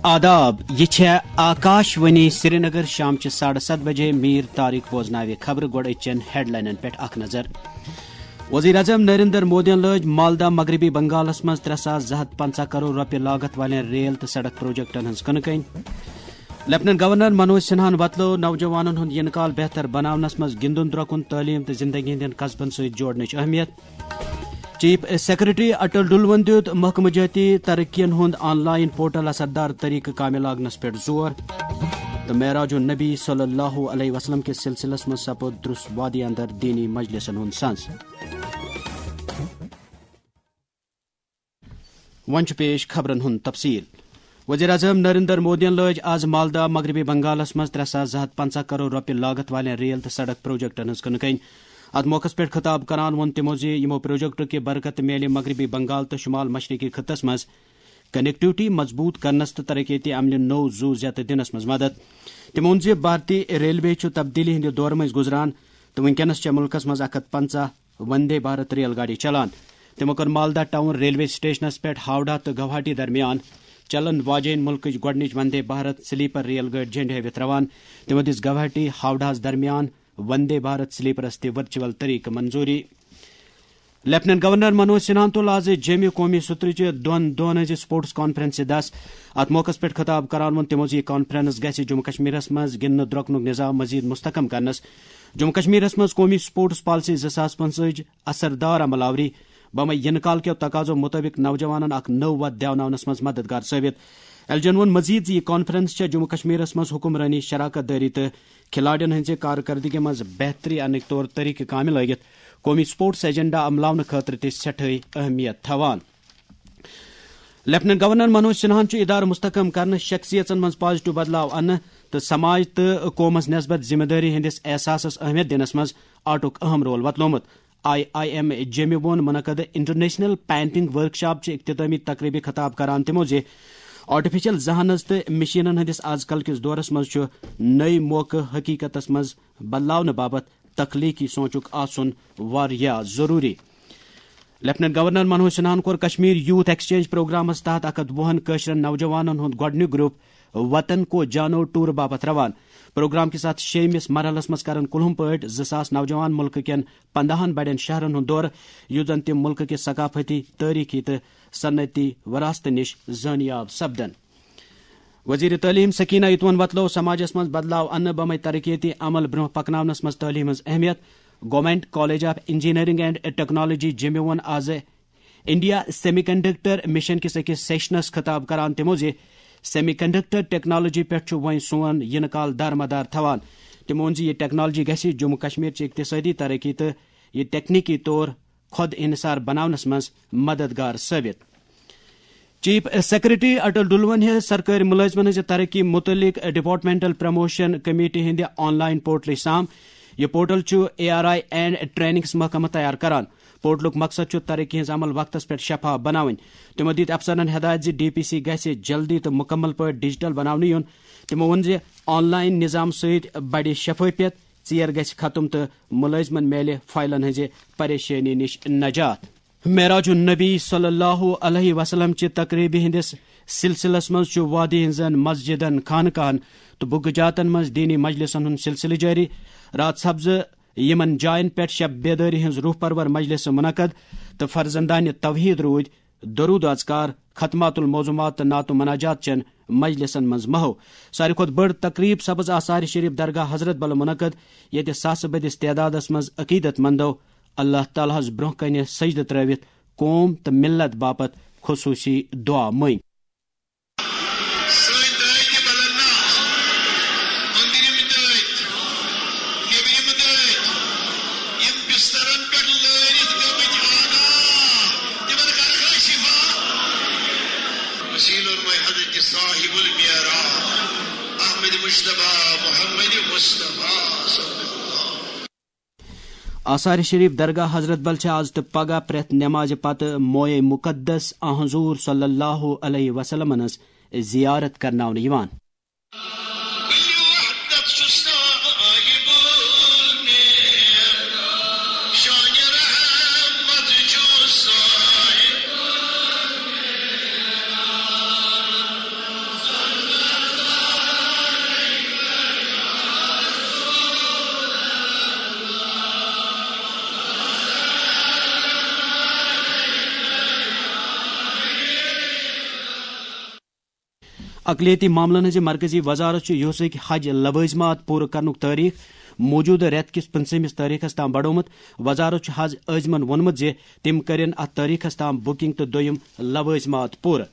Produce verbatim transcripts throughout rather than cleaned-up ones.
آداب، یہِ چھےٚ آکاش وانی سرینگر۔ شام چہِ ساڑٕ ستھ بجے۔ میٖر طارق بوزناوِ خبرٕ۔ گۄڈٕ أزچٮ۪ن ہیڈلاینن پٮ۪ٹھ اکھ نظر۔ وزیر اعظم نریندر مودیَن لٲج مالدہ مغربی بنگالس منٛز ترٛےٚ ساس زٕ ہتھ پنژاہ کرور رۄپیہِ لاگت والٮ۪ن ریل تہٕ سڑک پروجیکٹن ہٕنٛز کٕنہٕ کٔنۍ۔ لیفٹیننٹ گورنر منوج سنہاہن وۄتلٲو نوجوانن ہُنٛد یِنہٕ کال بہتر بناونس منٛز گِنٛدُن درۄکُن، تعلیٖم تہٕ زندگی ہٕنٛدٮ۪ن قصبن سۭتۍ جوڑنٕچ اہمیت۔ چیف سیکرٹری اٹل ڈلون دیُت محکمہٕ جٲتی ترقین ہُنٛد آن لائن پورٹل اثردار طریقہٕ کامہِ لاگنس پٮ۪ٹھ زور۔ تہٕ معراج النبی صلی اللہ علیہ وسلم کِس سلسلس منٛز سپُد درُس وادی اندر دینی مجلسن ہُنٛد سنز۔ وۄنۍ چھُ پیش خبرن ہُنٛد تفصیل۔ وزیر اعظم نریندر مودیَن لٲج آز مالدہ مغربی بنگالس منٛز ترٛےٚ ساس زٕ ہتھ پنژاہ کرور رۄپیہِ لاگت والٮ۪ن ریل تہٕ سڑک پروجیکٹن ہٕنٛز کٕنہٕ کٔنۍ۔ اتھ موقعس پٮ۪ٹھ خطاب کران ووٚن تِمو زِ یِمو پروجیکٹو کہِ برکتہٕ میلہِ مغربی بنگال تہٕ شمال مشرقی خطس منٛز کنیکٹیوٹی مضبوط کرنس تہٕ ترقیتی عملہِ نوٚو زُو زیتہٕ دِنس منٛز مدد۔ تِمو ووٚن زِ بھارتی ریلوے چھُ تبدیلی ہٕنٛدِ دورٕ مٔنٛزۍ گُزران تہٕ وُنکیٚنس چھےٚ مُلکس منٛز اکھ ہتھ پنژاہ وندے بھارت ریل گاڑی چلان۔ تِمو کٔر مالدہ ٹاؤن ریلوے سٹیشنس پٮ۪ٹھ ہاوڑہ تہٕ گوہاٹی درمیان چلن واجیٚنۍ مُلکٕچ گۄڈٕنِچ وندے بھارت سلیپر ریل گٲڑۍ جھنڈِ ہٲوِتھ روان۔ تِمو دِژ گوہاٹی ہاوڑہس درمیان وندے بھارت سلیپرس تہِ ورچوئل طریقہٕ منظوری۔ لیفٹیننٹ گورنر منوج سنہاہن تُل آز جیمہِ قومی سترٕچہِ دۄن دۄہن ہٕنٛزِ سپورٹس کانفرنسہِ دس۔ اتھ موقعس پٮ۪ٹھ خطاب کران ووٚن تِمو زِ یہِ کانفرنس گژھِ جموں کشمیرس منٛز گِنٛدنہٕ درۄکنُک نظام مزید مستحکم کرنس، جموں کشمیرس منٛز قومی سپورٹس پالیسی زٕ ساس پنٛژاہٕچ اثردار عمل آوری، بمے یِنہٕ کال کیو تقاضو مطٲبق نوجوانن اکھ نٔو وتھ دیوناونس منٛز مددگار ثٲبت۔ ایل جی ین ووٚن مزید زِ یہِ کانفرنس چھےٚ جموں کشمیرس منٛز حکمرٲنی، شراکت دٲری تہٕ کھلاڑین ہٕنٛزِ کارکردگی منٛز بہتری اننٕکۍ طور طریقہٕ کامہِ لٲگِتھ قومی سپورٹس ایجنڈا عملاونہٕ خٲطرٕ تہِ سٮ۪ٹھٲے اہمیت تھاوان۔ لیفٹیننٹ گورنر منوج سنہاہن چھُ ادارٕ مستحکم کرنہٕ، شخصیژن منٛز پازیٹیو بدلاو اننہٕ تہٕ سماج تہٕ قومس نسبت ذمہ دٲری ہٕنٛدِس احساسس اہمیت دِنس منٛز آٹُک اہم رول وۄتلومُت۔ آئی آئی ایم جیمہِ ووٚن منعقد انٹرنیشنل پینٹنگ ورکشاپ چہِ اختتامی تقریبہِ خطاب کران تِمو زِ آرٹیفیشل ذہانس تہٕ مشینن ہٕنٛدِس آز کل کِس دورس منٛز چھُ نٔوۍ موقعہٕ حقیقتس منٛز بدلاونہٕ باپتھ تخلیقی سونچُک آسُن واریاہ ضروری۔ لیفٹیننٹ گورنر منوج سنہاہن کوٚر کشمیر یوتھ ایکسچینج پروگرامس تحت اکھ ہتھ وُہن کٲشرٮ۪ن نوجوانن ہُنٛد گۄڈٕنیُک گروپ وطن کو جانو ٹور باپتھ روان۔ پروگرام کِس اتھ شیٚیمِس مرحلس منٛز کرن کُلہُم پٲٹھۍ زٕ ساس نوجوان مُلکہٕ کٮ۪ن پنداہن بڑٮ۪ن شہرن ہُنٛد دورٕ، یُتھ زن تِم مُلکہٕ کہِ ثقافتی، تٲریخی تہٕ صنعتی وراثتہٕ نِش زٲنیاب سپدن۔ وزیر تعلیم سکینہ اتون وتلو سماجس منٛز بدلاو اننہٕ بمے ترقیتی عمل برونٛہہ پکناونس منٛز تعلیم ہٕنٛز اہمیت۔ Government college of engineering and technology جیمہِ ووٚن آز انڈیا سیمی کنڈکٹر مشن کِس أکِس سیشنس خطاب کران تِمو زِ سیمی کنڈکٹر ٹیکنالوجی پٮ۪ٹھ چھُ وۄنۍ سون یِنہٕ کال دارمدار تھاوان۔ تِمو ووٚن زِ یہِ ٹیکنالوجی گژھِ جموں کشمیر چہِ اقتصٲدی ترقی تہٕ یہِ تکنیکی طور خود انحصار بناونس منٛز مددگار ثٲبت۔ چیف سیکرٹری اٹل ڈلون ہیٚژ سرکٲرۍ مُلٲزمن ہٕنٛزِ ترقی مُتعلق ڈپارٹمنٹل پروموشن کمیٹی ہٕنٛدِ آن لائن پورٹلٕچ سام۔ یہِ پورٹل چھُ A R I and trainings محکمہٕ تیار کران۔ پورٹلُک مقصد چھُ ترقی ہٕنٛز عمل وقتس پٮ۪ٹھ شفاف بناوٕنۍ۔ تِمو دِتۍ افسرن ہدایت زِ ڈی پی سی گژھِ جلدی تہٕ مُکمل پٲٹھۍ ڈیجیٹل بناونہٕ یُن۔ تِمو ووٚن زِ آن لائن نظام سۭتۍ بڑِ شفافیت، ژیر گژھِ ختم تہٕ مُلٲزمن میلہِ فائلن ہٕنٛزِ پریشٲنی نِش نجات۔ معراج النبی صلی اللہ علیہ وسلم چہِ تقریبہِ ہٕنٛدِس سلسلس منٛز چھُ وادی ہٕنٛزن مسجدن، خانقاہن تہٕ بُگہٕ جاتن منٛز دینی مجلسن ہُنٛد سلسلہٕ جٲری۔ راتھ سپزٕ یِمن جاین پٮ۪ٹھ شب بیدٲری ہٕنٛز روح پرور مجلسہٕ منعقد تہٕ فرزندانِ توحید روٗدۍ درود اذکار، ختمات الموضوعات تہٕ نعت و مناجات چٮ۪ن مجلسن منٛز محو۔ ساروی کھۄتہٕ بٔڑ تقریب سپز آثار شریف درگاہ حضرت بل منعقد، ییٚتہِ ساسہٕ بٔدِس تعدادس منٛز عقیدت مندو اللہ تعالیٰ ہس برونٛہہ کنہِ سجدٕ ترٲوِتھ قوم تہٕ ملت باپتھ خصوصی دعا مٔنگۍ۔ سٲنۍ دٲدۍ تہِ بدل نہ، أنٛدرِم دٲدۍ، نیٚبرِم دٲدۍ، یِم بسترن پٮ۪ٹھ لٲرِتھ گٔمٕتۍ آنا، تِمن کرکھا شفا؟ وسیلہٕ روے حضرت صاحب المعراج، احمد مجتبیٰ، محمد مصطفیٰ صلی اللہ۔ آثار شریف درگاہ حضرت بل چھِ آز تہٕ پگاہ پرٛٮ۪تھ نمازِ پتہٕ مویے مقدس آن حضور صلی اللہ علیہ وسلم ہٕنٛز زیارت کرناونہٕ یِوان۔ اقلیتی معاملن ہٕنٛزِ مرکزی وزارت چھُ یوسفٕکۍ حج لوٲزمات پوٗرٕ کرنُک تٲریخ موٗجوٗدٕ رٮ۪تہٕ کِس پٕنٛژٕہمِس تٲریخس تام بڑومُت۔ وزارت چھُ حج عٲزمن ووٚنمُت زِ تِم کٔرِن اتھ تٲریخس تام بُکنگ تہٕ دوٚیِم لوٲزمات پوٗرٕ۔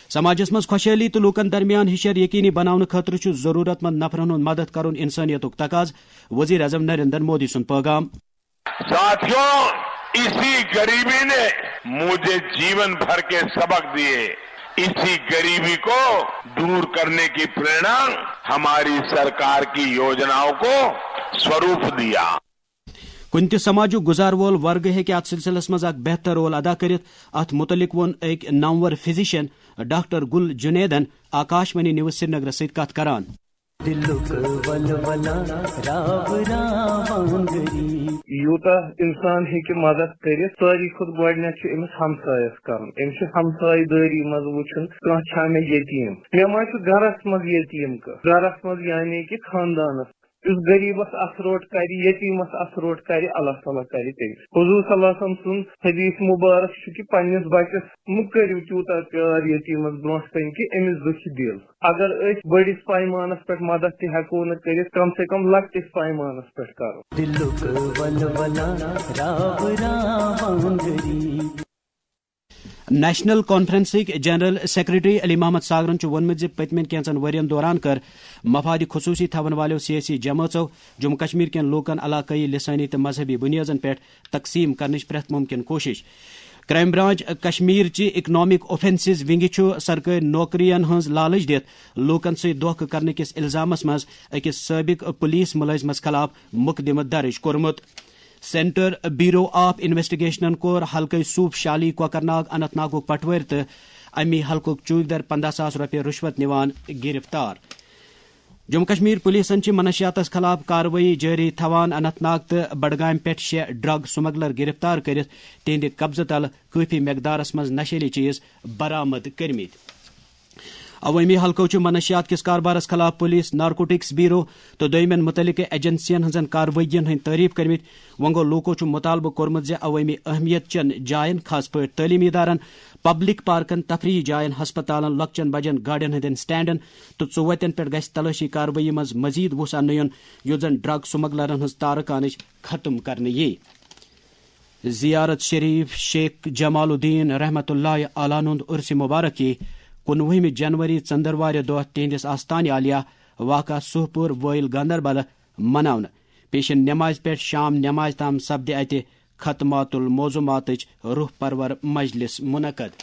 سماجس منٛز خۄشحٲلی تہٕ لوٗکن درمیان ہِشر یقینی بناونہٕ خٲطرٕ چھُ ضروٗرت مند نفرن ہُنٛد مدد کرُن انسٲنیتُک تقاضہٕ، وزیر اعظم نریندر مودی سُنٛد پٲغام۔ साथियों, इसी गरीबी ने मुझे जीवन भर के सबक दिए। इसी गरीबी को दूर करने की प्रेरणा हमारी सरकार की योजनाओं को स्वरूप दिया। کُنہِ تہِ سماجُک گُزار وول ورگہٕ ہیٚکہِ اتھ سلسلس منٛز اکھ بہتر رول ادا کٔرِتھ۔ اتھ مُتعلق ووٚن أکۍ نامور فزیشن ڈاکٹر گل جنیدن آکاش وانی نیوز سرینگرس سۭتۍ کتھ کران۔ دلُک ولولہ راو راوان غریب۔ یوٗتاہ اِنسان ہیٚکہِ مدد کٔرِتھ، ساروی کھۄتہٕ گۄڈٕنٮ۪تھ چھُ أمِس ہمسایَس کرُن۔ أمِس چھُ ہمسایہِ دٲری منٛز وٕچھُن، کانٛہہ چھا مےٚ یتیٖم، مےٚ ما چھُ گرس منٛز یتیٖم کانٛہہ، گرس منٛز یعنی کہِ خاندانس۔ یُس غریبس اَتھٕ روٚٹ کرِ، یتیٖمس اَتھٕ روٚٹ کرِ، اللہ تعالیٰ کرِ تٔمِس۔ حضور صلی اللہ علیہ وسلم سُنٛد حدیث مبارک چھُ کہِ پننِس بچس مہٕ کٔرِو تیوٗتاہ پیار یتیٖمس برونٛٹھ کنہِ کہِ أمِس دُکھِ دِل۔ اگر أسۍ بٔڑِس پیمانس پٮ۪ٹھ مدد تہِ ہٮ۪کو نہٕ کٔرِتھ، کم سے کم لۄکٹِس پیمانس پٮ۪ٹھ کرو۔ دلُک ولولہ راو راوان غریب۔ نیشنل کانفرنسٕکۍ جنرل سیکرٹری علی محمد ساگرن چھُ ووٚنمُت زِ پٔتمٮ۪ن کینٛژن ؤرین دوران کٔر مفادِ خصوٗصی تھاون والٮ۪و سیٲسی جمٲژو جموں کشمیر کٮ۪ن لوٗکن علاقٲیی، لسٲنی تہٕ مذہبی بُنیٲدن پٮ۪ٹھ تقسیٖم کرنٕچ پرٛٮ۪تھ مُمکِن کوٗشش۔ کرائم برانچ کشمیر چہِ اکنامک اوفینسز ونگہِ چھُ سرکٲرۍ نوکرین ہٕنٛز لالچ دِتھ لوٗکن سۭتۍ دھوکہٕ کرنہٕ کِس الزامس منٛز أکِس سٲبق پولیس مُلٲزمس خلاف مقدمہٕ درٕج کوٚرمُت۔ سینٹر بیورو آف انویسٹیگیشنن کوٚر حلقہٕ صوبہٕ شالی، کوکرناگ، اننت ناگُک پٹوٲرۍ تہٕ اَمی حلقُک چوکیدار پنٛداہ ساس رۄپیہِ رُشوت نِوان گِرِفتار۔ جموں کشمیر پُلیٖسن چھِ منشیاتس خلاف کاروٲیی جٲری تھاوان۔ اننت ناگ تہٕ بڈگامہِ پٮ۪ٹھ شےٚ ڈرگ سمگلر گِرِفتار کٔرِتھ تِہنٛدِ قبضہٕ تلہٕ کٲفی مقدارس منٛز نشیلی چیز برآمد کٔرمٕتۍ۔ عوٲمی حلقو چھُ منشیات کِس کاربارس خلاف پُلیٖس، نارکوٹکس بیورو تہٕ دوٚیمٮ۪ن مُتعلقہٕ ایجنسین ہٕنٛزن کاروٲیین ہٕنٛدۍ تعریف کٔرمٕتۍ۔ وۄنۍ گوٚو، لوٗکو چھُ مُطالبہٕ کوٚرمُت زِ عوٲمی اہمیت چٮ۪ن جاین، خاص پٲٹھۍ تعلیمی ادارن، پبلک پارکن، تفریحی جاین، ہسپتالن، لۄکچٮ۪ن بجن گاڑٮ۪ن ہٕنٛدٮ۪ن سٹینڈن تہٕ ژُوتٮ۪ن پٮ۪ٹھ گژھِ تلٲشی کاروٲیی منٛز مزید وُژھ اننہٕ یُن، یُتھ زن ڈرگ سمگلرن ہٕنٛز تارٕ کانٕچ ختم کرنہٕ یِیہِ۔ زیارت شریف شیخ جمال الدین رحمت اللہ علیہ ہُنٛد عرس مبارک یی کُنوُہمہِ جنوری، ژندروارِ دۄہ تِہنٛدِس آستانہِ عالیہ واقع سہپور وٲیِل گاندربل مناونہٕ۔ پیشن نمازِ پٮ۪ٹھ شام نمازِ تام سپدِ اتہِ ختمات الموضوعاتٕچ روح پرور مجلس منعقد۔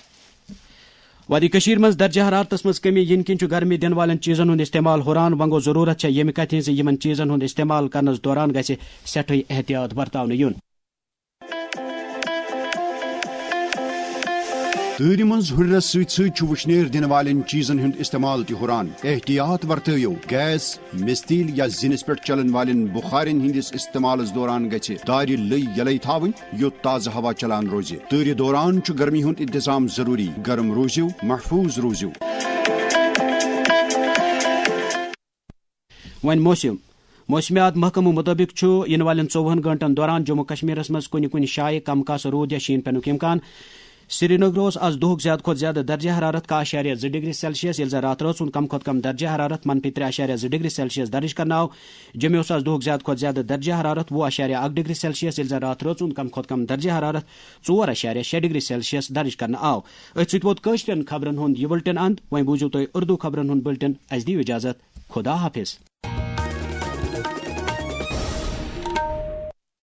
وادی کٔشیٖر منٛز درجہ حرارتس منٛز کمی یِنہٕ کِنۍ چھُ گرمی دِنہٕ والٮ۪ن چیٖزن ہُنٛد استعمال ہُران۔ وۄنۍ گوٚو، ضروٗرت چھےٚ ییٚمہِ کتھِ ہٕنٛز زِ یِمن چیٖزن ہُنٛد استعمال کرنس دوران گژھِ سٮ۪ٹھٕے احتیاط ورتاونہٕ یُن۔ تۭرِ منٛز ہُرِرس سۭتۍ سۭتۍ چھُ وُشنیر دِنہٕ والٮ۪ن چیٖزن ہُنٛد استعمال تہِ ہُران۔ احتیاط ورتٲیِو، گیس، مِستیٖل یا زِنِس پٮ۪ٹھ چلن والٮ۪ن بُخارٮ۪ن ہٕنٛدِس استعمالس دوران گژھِ دارِ لٔۍ یلے تھاوٕنۍ، یوٚت تازٕ ہوا چلان روزِ۔ تۭرِ دوران چھُ گرمی ہُنٛد انتظام ضروٗری۔ گرم روٗزِو، محفوٗظ روٗزِو۔ وۄنۍ موسم۔ موسمیات محکمہٕ مُطٲبِق چھُ یِنہٕ والٮ۪ن ژوٚوُہن گٲنٛٹن دوران جموں کشمیرس منٛز کُنہِ کُنہِ جایہِ کم کاسہٕ روٗد یا شیٖن پٮ۪نُک امکان۔ سرینگر اوس آز دۄہُک زیادٕ کھۄتہٕ زیادٕ درجہ حرارت کاہ اعشاریہ زٕ ڈگری سیلسیس، ییٚلہِ زن راتہٕ رٲژ ہُنٛد کم کھۄتہٕ کم درجہ حرارت منفی ترٛےٚ اعشاریہ زٕ ڈگری سیلسیس درٕج کرنہٕ آو۔ جوٚمہِ اوس آز دۄہُک زیادٕ کھۄتہٕ زیادٕ درجہ حرارت وُہ اعشاریہ اکھ ڈگری سیلسیس، ییٚلہِ زن راتہٕ رٲژ ہُنٛد کم کھۄتہٕ کم درجہ حرارت ژور اعشاریہ شےٚ ڈگری سیلسیس درٕج کرنہٕ آو۔ أتھۍ سۭتۍ ووت کٲشرٮ۪ن خبرن ہُنٛد یہِ بُلٹن اند۔ وۄنۍ بوٗزِو تُہۍ اردو خبرن ہُنٛد بُلٹن۔ اَسہِ دِیِو اجازت۔ خدا حافظ۔